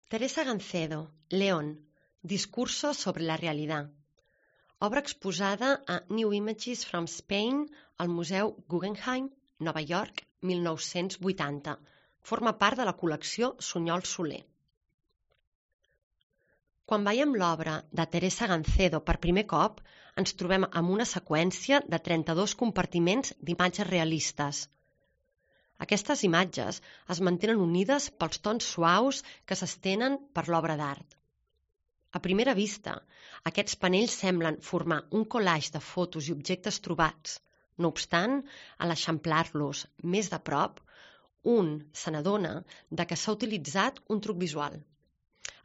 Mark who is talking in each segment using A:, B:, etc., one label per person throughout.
A: Teresa Gancedo, León, Discurso sobre la realidad. Obra exposada a New Images from Spain al Museu Guggenheim, Nova York, 1980. Forma part de la col·lecció Sunyol Soler. Quan veiem l'obra de Teresa Gancedo per primer cop, ens trobem amb una seqüència de 32 compartiments d'imatges realistes. Aquestes imatges es mantenen unides pels tons suaus que s'estenen per l'obra d'art. A primera vista, aquests panells semblen formar un collage de fotos i objectes trobats. No obstant, a l'eixamplar-los més de prop, un se n'adona que s'ha utilitzat un truc visual.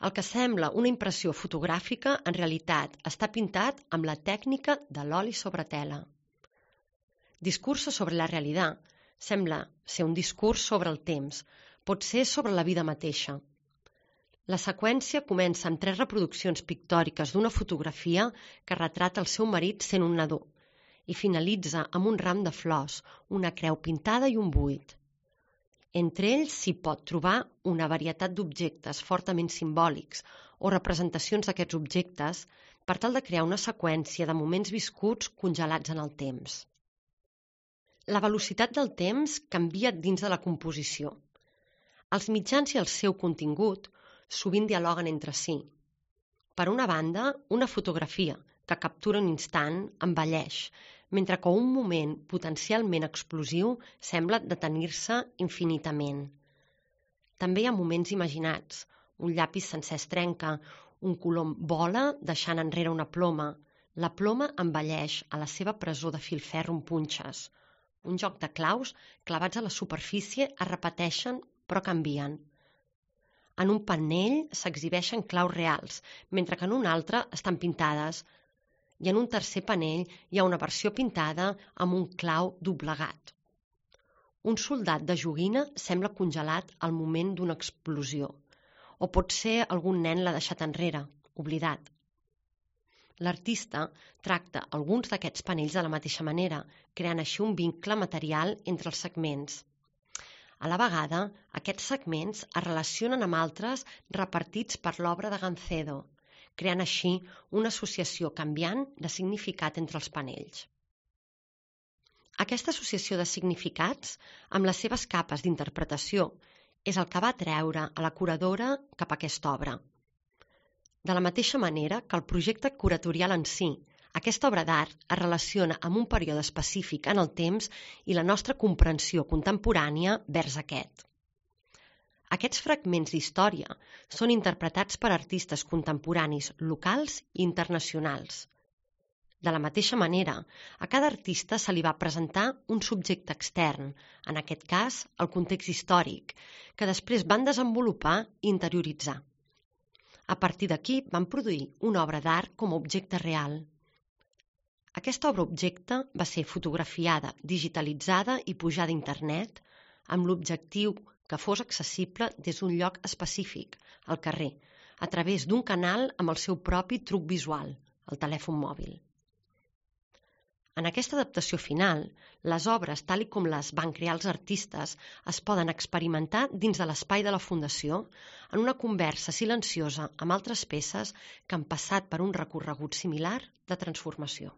A: El que sembla una impressió fotogràfica, en realitat, està pintat amb la tècnica de l'oli sobre tela. Discurso sobre la realitat sembla ser un discurs sobre el temps, pot ser sobre la vida mateixa. La seqüència comença amb 3 reproduccions pictòriques d'una fotografia que retrata el seu marit sent un nadó i finalitza amb un ram de flors, una creu pintada i un buit. Entre ells s'hi pot trobar una varietat d'objectes fortament simbòlics o representacions d'aquests objectes per tal de crear una seqüència de moments viscuts congelats en el temps. La velocitat del temps canvia dins de la composició. Els mitjans i el seu contingut sovint dialoguen entre si. Per una banda, una fotografia que captura un instant envelleix, mentre que un moment potencialment explosiu sembla detenir-se infinitament. També hi ha moments imaginats. Un llapis sencer es trenca, un colom vola deixant enrere una ploma. La ploma envelleix a la seva presó de filferro amb punxes. Un joc de claus clavats a la superfície es repeteixen però canvien. En un panell s'exhibeixen claus reals, mentre que en un altre estan pintades, i en un tercer panell hi ha una versió pintada amb un clau doblegat. Un soldat de joguina sembla congelat al moment d'una explosió, o pot ser algun nen l'ha deixat enrere, oblidat. L'artista tracta alguns d'aquests panells de la mateixa manera, creant així un vincle material entre els segments. A la vegada, aquests segments es relacionen amb altres repartits per l'obra de Gancedo, creant així una associació canviant de significat entre els panells. Aquesta associació de significats, amb les seves capes d'interpretació, és el que va atreure a la curadora cap a aquesta obra. De la mateixa manera que el projecte curatorial en si, aquesta obra d'art es relaciona amb un període específic en el temps i la nostra comprensió contemporània vers aquest. Aquests fragments d'història són interpretats per artistes contemporanis locals i internacionals. De la mateixa manera, a cada artista se li va presentar un subjecte extern, en aquest cas el context històric, que després van desenvolupar i interioritzar. A partir d'aquí van produir una obra d'art com a objecte real. Aquesta obra-objecte va ser fotografiada, digitalitzada i pujada a internet amb l'objectiu que fos accessible des d'un lloc específic, al carrer, a través d'un canal amb el seu propi truc visual, el telèfon mòbil. En aquesta adaptació final, les obres, tal com les van crear els artistes, es poden experimentar dins de l'espai de la Fundació en una conversa silenciosa amb altres peces que han passat per un recorregut similar de transformació.